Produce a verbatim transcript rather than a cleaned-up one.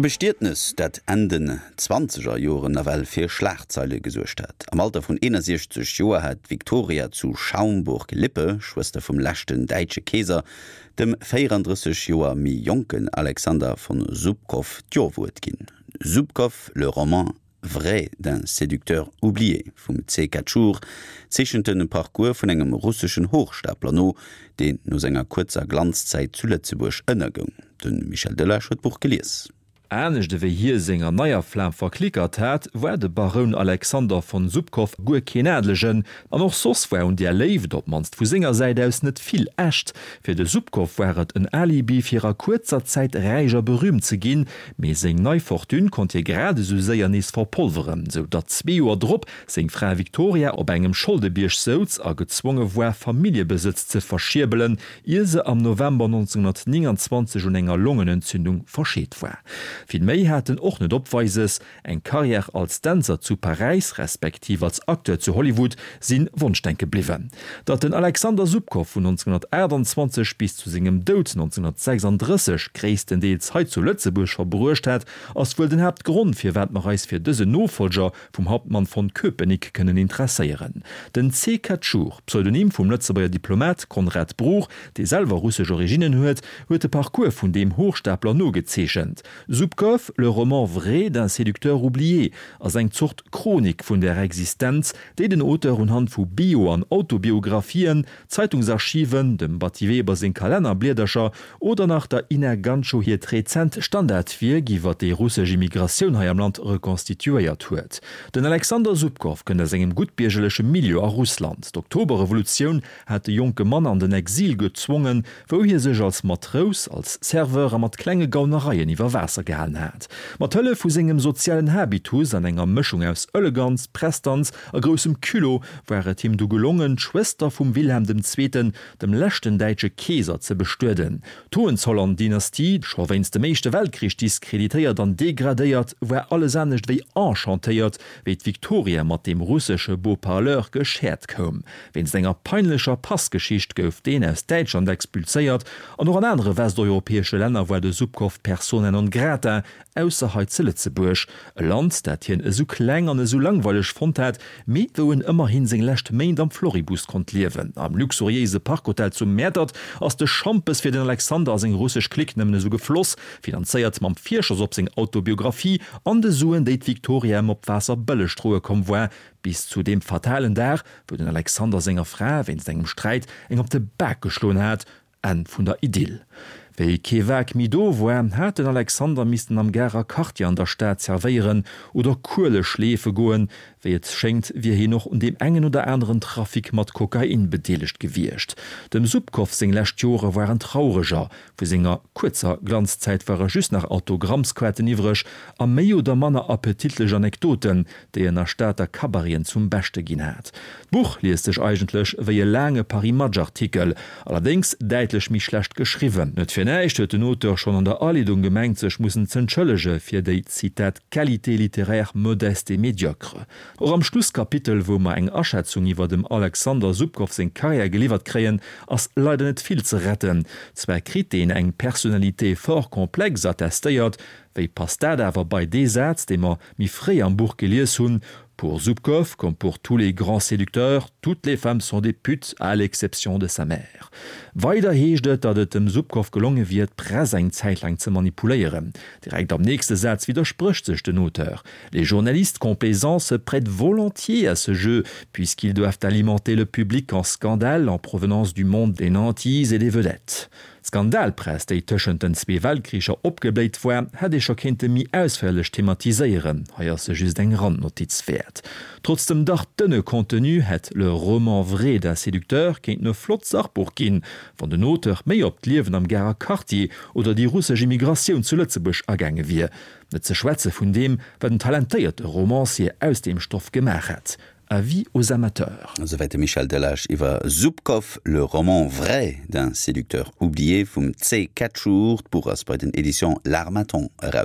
E Bestietnes, dat Enn den zwanzeger Joren nawell fir Schlagzeile gesuergt hat. Am Alter vun eenundsechzeg Joer hat d'Viktoria zu Schaumburg-Lippe, Schwëster vum leschten däitsche Keeser, dem véierandrësseg Joer méi jonken Alexander von Zubkow d'Jowuert ginn. Zubkov, le roman vrai d'un séducteur oublié vum C. Katchour zeechent de Parcours vun engem russeschen Hochstapler no, deen no senger kuerzer Glanzzäit zu Lëtzebuerg ënnergoung. De Michel Delage huet d'Buch gelies. Anescht ewéi hie senger neier Flam verklickert hat, war de Baroun Alexander von Zubkow guer keen Adelegen, an och soss war un där Léift, op d'mannst vu senger Säit aus, net vill echt. Fir de Zubkow war et en Alibi fir a kuerzer Zäit räich a berüümt ze ginn, mee seng nei Fortune konnt hie grad esou séier nees verpolveren, sou datt zwee Joer drop seng Fra Viktoria op engem Scholdebierg souz a gezwonge war Familljebesëtz ze verschierbelen, ier se am November nonzénghonnertnénganzwanzeg un enger Longenentzündung verscheet war. Vill méi hat en och net opweises, eng Karriär als Dänzer zu Paräis respektiv als Acteur zu Hollywood si Wonschdenke bliwwen. Datt den Alexander Zubkow vun nonzénghonnertaachtanzwanzeg bis zu sengem Doud nonzénghonnertsechsanddrësseg gréisstendeels hei zu Lëtzebuerg verbruecht hat, ass wuel den Haaptgrond, firwat mer eis fir dësen Nofollger vum Hauptmann von Köpenick kënnen interesséieren. Den C. Katchour, Pseudonym vum Lëtzebuerger Diplomat Conrad Bruch, dee selwer russesch Originnen huet, huet de Parcours vun deem Hochstapler nogezeechent. Zubkov, le roman vrai d'un séducteur oublié ass eng Zort Chronik vun der Existenz, déi den Auteur unhand vu Bio an Autobiographien, Zeitungsarchiven, dem Batty Weber seng Kalennerbliedercher oder nach der Ina Ganschow hiert rezent Standardwierk iwwer déi russesch Immigratioun hei am Land rekonstituéiert huet. Den Alexander Zubkov kënnt aus engem guttbiergerleche Milieu a Russland. D'Oktoberrevolutioun hat de jonke Mann an den Exil gezwongen, wou hie sech als Matrous, als Serveur a mat klenge Gaunereien iwwer Waasser gehalen hat. Mat Hëllef vu sengem sozialen Habitus an enger Mëschung aus Eleganz, Prestanz a groussem Culot war et him du gelongen, d'Schwëster vum Wilhelm dem Zweeten, dem leschten däitsche Keeser, ze bestueden. D'Hohenzollern-Dynastie, scho wéinst dem Éischte Weltkrich diskreditéiert an degradéiert, war alles anescht wéi enchantéiert, wéi d'Viktoria mat deem russesche Beau-parleur geschäert koum. Wéinst enger peinlecher Passgeschicht gouf deen aus Däitschland expulséiert an och an anere westeuropäesche Länner war de Zubkov persona non grata, ausser hei zu Lëtzebuerg, e Land, dat hien esou kleng an esou langweileg fonnt hat, mee wou en ëmmerhin seng lescht Méint am Floribus konnt liewen. Am luxuriéise Parkhotel zu Mäertert ass de Schampes fir den Alexander a seng russesch Clique nëmmen esou gefloss, finanzéiert mam Virschoss op seng Autobiographie an de Suen, déi d'Viktoria em op Waasserbëlleg droe komm war, bis zu deem fatalen Dag, wou den Alexander senger Fra wéinst engem Sträit eng op de Bak geschloen hat. Enn vun der Idyll. Wéi kee Waark méi do war, hat den Alexander missten am Garer Quartier an der Stad zerwéieren oder Kuele schleefe goen. Wéi et schéngt, wier hien och un deem engen oder aneren Trafic mat Kokain bedeelegt gewiescht. Dem Zubkov seng lescht Jore waren traureger, vu senger kuerzer Glanzzäit ware just nach Autogrammskaarten iwwreg a méi oder manner appetitlech Anekdoten, déi en a Stater Cabareten zum Beschte ginn hat. D'Buch liest sech eigentlech wéi e laange Paris-Match-Artikel, allerdéngs däitlech méi schlecht geschriwwen. Net fir näischt huet den Auteur schonn an der Aleedung gemengt, sech mussen z'entschëllege fir déi, Zitat, qualité littéraire modeste et médiocre. Och am Schlusskapitel, wou mer eng Aschätzung iwwer dem Alexander Zubkov seng Karriär geliwwert kréien, ass leider net vill ze retten. Zwar kritt deen eng personnalité fort complexe attestéiert, wéi passt dat awer bei dee Saz, dee mer méi fréi am Buch gelies hunn, Pour Zubkov, comme pour tous les grands séducteurs, toutes les femmes sont des putes, à l'exception de sa mère. Weider heescht et, datt et dem Zubkov gelonge wier, d'Press eng Zäit laang ze manipuléieren. Direkt am nächste Saz widdersprécht sech den Auteur, Les journalistes complaisants se prêtent volontiers à ce jeu, puisqu'ils doivent alimenter le public en scandales en provenance du monde des nantis et des vedettes. D'Skandalpress, déi tëschent den zwee Weltkricher opgebléit war, hätt ee scho kéinte méi ausféierlech thematiséieren, hei ass se just eng Randnotiz wäert. Trotz dem dach dënne Contenu hätt Le roman vrai d'un séducteur kéinten e flott Sachbuch ginn, wann den Auteur méi op d'Liewen am Garer Quartier oder déi russesch Immigratioun zu Lëtzebuerg agaange wier, net ze schwätze vun deem, wat en talentéierte Romancier aus deem Stoff gemaach hätt. Avis aux amateurs. Esouwäit de Michel Delage iwwer Zubkov, le roman vrai d'un séducteur oublié vum C. Katchour. D'Buch ass bei den Editions L'Harmattan erauskomm.